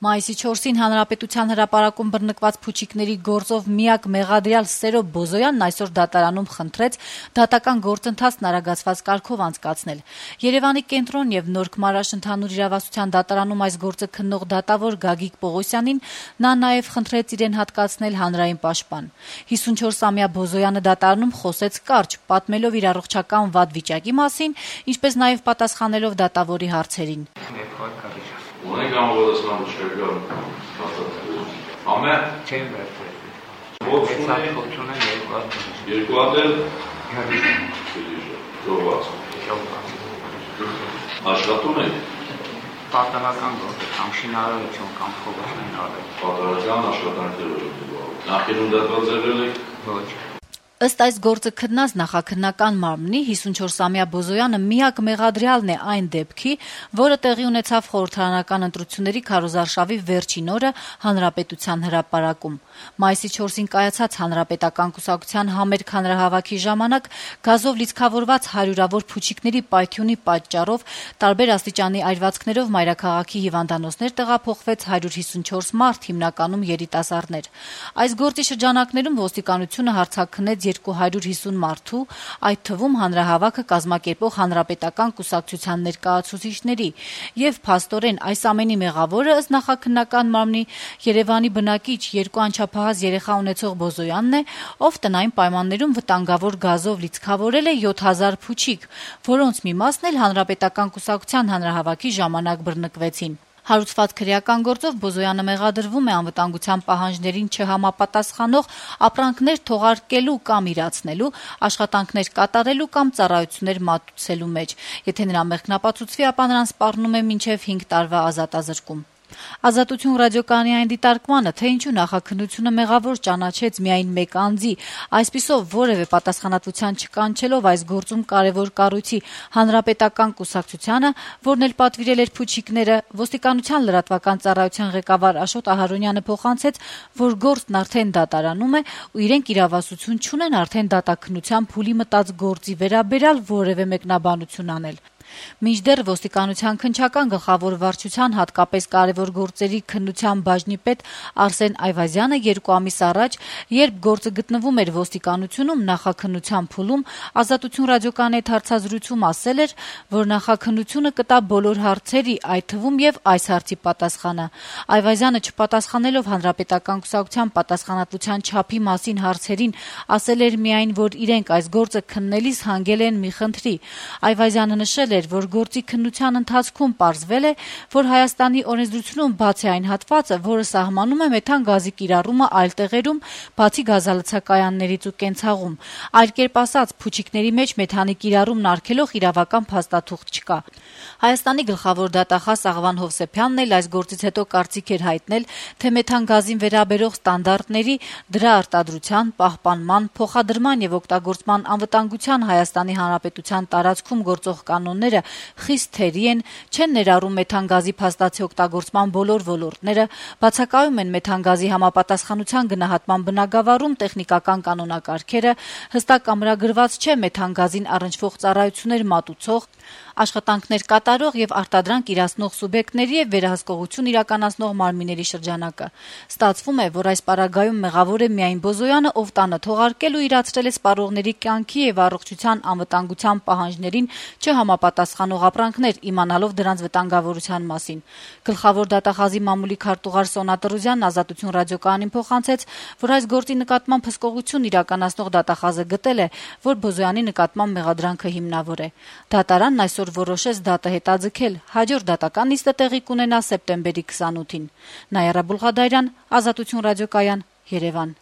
Մայիսի 4-ին Հանրապետության հրապարակում բռնկված փուչիկների գործով միակ մեղադրյալ Սերո Բոզոյանն այսօր դատարանում խնդրեց դատական գործընթացն արագացված կարգով անցկացնել։ Երևանի կենտրոն եւ Նոր Քմարաշ ընդհանուր իրավասության դատարանում այս գործը քննող դատավոր Գագիկ Պողոսյանին նա նաեւ խնդրեց իրեն հատկացնել հանրային պաշտպան։ 54-ամյա Բոզոյանը դատարանում խոսեց կարճ, պատմելով իր առողջական վատ վիճակի մասին, ինչպես նաեւ պատասխանելով դատավորի հարցերին։ Ունենք ամբողջական բժշկական հաստատություն։ Ամեն չեմ վերցրել։ Երկու հատ էլ աշխատում եք։ Պատահական գործ, կամ շինարարություն, կամ փոխարեն արել։ Պատահական աշխատանքներ եք։ Նախկինում դատված եղել եք։ Ոչ։ Ըստ այս գործը քննած նախաքննական մարմնի 54-ամյա Բոզոյանը միակ մեղադրյալն է այն դեպքի, որը տեղի ունեցավ խորհրդարանական ընտրությունների քարոզարշավի վերջին օրը Հանրապետության հրապարակում։ Մայիսի 4-ին կայացած Հանրապետական կուսակցության համերգ հանրահավաքի ժամանակ գազով լիցքավորված հարյուրավոր փուչիկների պայթյունի պատճառով տարբեր աստիճանի այրվածքներով մայրաքաղաքի հիվանդանոցներ տեղափոխվեց 154 մարդ, հիմնականում երիտասարդներ։ Այս գործի շրջանակներում ոստիկանությունը հարձակվեց 250 մարդու, այդ թվում հանրահավաքը կազմակերպող հանրապետական կուսակցության ներկայացուցիչների, եւ փաստորեն այս ամենի մեղավորը ըստ նախաքննական մարմնի Երևանի բնակիչ 2 անչափահաս երեխա ունեցող Բոզոյանն է, ով տնային պայմաններում վտանգավոր գազով լիցքավորել է 7000 փուչիկ, որոնց մի մասն էլ հանրապետական կուսակցության հանրահավաքի ժամանակ բռնկվեցին։ Հարուցված քրեական գործով Բոզոյանը մեղադրվում է անվտանգության պահանջներին չհամապատասխանող ապրանքներ թողարկելու կամ իրացնելու, աշխատանքներ կատարելու կամ ծառայություններ մատուցելու մեջ։ Եթե նրա մեղքն ապացուցվի, ապա նրան սպառնում է մինչև 5 տարվա ազատազրկում։ Ազատություն ռադիոկայանի այն դիտարկմանը, թե ինչու նախաքննությունը մեղավոր ճանաչեց միայն մեկ անձի, այսպիսով որևէ պատասխանատվության չկանչելով այս գործում կարևոր կառույցի հանրապետական կուսակցությանը, որն էլ պատվիրել էր փուչիկները, ոստիկանության լրատվական ծառայության ղեկավար Աշոտ Ահարոնյանը փոխանցեց, որ գործն արդեն դատարանում է ու իրենք իրավասություն չունեն արդեն դատաքննության փուլի մտած գործի վերաբերյալ որևէ մեկնաբանություն անել։ Մինչդեռ ոստիկանության քննչական գլխավոր վարչության հատկապես կարևոր գործերի քննության բաժնի պետ Արսեն Այվազյանը 2 ամիս առաջ, երբ գործը գտնվում էր ոստիկանությունում նախաքննության փուլում, Ազատություն ռադիոկայանի հետ հարցազրույցում ասել էր, որ նախաքննությունը կտա բոլոր հարցերի, այդ թվում եւ այս հարցի պատասխանը։ Այվազյանը չպատասխանելով հանրապետական կուսակցության պատասխանատվության չափի մասին հարցերին, ասել էր միայն, որ իրենք այս գործը քննելիս հանգել են մի խնդրի։ Այվազյանը նշել էր, որ գործի քննության ընթացքում պարզվել է, որ Հայաստանի օրենսդրությունում բաց է այն հատվածը, որը սահմանում է մեթան գազի կիրառումը այլ տեղերում, բացի գազալցակայաններից ու կենցաղում։ Այլ կերպ ասած, փուչիկների մեջ մեթանի կիրառումն արգելող իրավական փաստաթուղթ չկա։ Հայաստանի գլխավոր դատախազ Աղվան Հովսեփյանն էլ այս գործից հետո կարծիք էր հայտնել, թե մեթան գազին վերաբերող ստանդարտների, դրա արտադրության, պահպանման, փոխադրման եւ օգտագործման անվտանգության Հայաստանի Հանրապետության տարածքում գործող կանոնները խիստ թերի են, չեն ներառում մեթան գազի փաստացի օգտագործման բոլոր ոլորտները, բացակայում են մեթան գազի համապատասխանության գնահատման բնագավառում տեխնիկական կանոնակարգերը, հստակ ամրագրված չէ մեթան գազին առնչվող ծառայություններ մատուցող, աշխատանքներ կատարող եւ արտադրանք իրացնող սուբյեկտների եւ վերահսկողություն իրականացնող մարմինների շրջանակը։ Ստացվում է, որ այս պարագայում մեղավոր է միայն Բոզոյանը, ով տանը թողարկել ու իրացրել է սպառողների կյանքի եւ առողջության անվտանգության պահանջներին չհամապատասխանող ապրանքներ, իմանալով դրանց վտանգավորության մասին։ Գլխավոր դատախազի մամուլի քարտուղար Սոնա Տրուզյանն Ազատություն ռադիոկայանին փոխանցեց, որ այս գործի նկատմամբ հսկողություն իրականացնող դատախազը գտել է, որ Բոզոյանի նկատմամբ մեղադրանքը հիմնավոր է։ Դատարանն այսօր որոշեց դատը հետաձգել, հաջորդ դատական նիստը տեղի կունենա սեպտեմբերի 28-ին։ Նայարա Բուլղադարյան, Ազատություն ռադիոկայան, Երևան։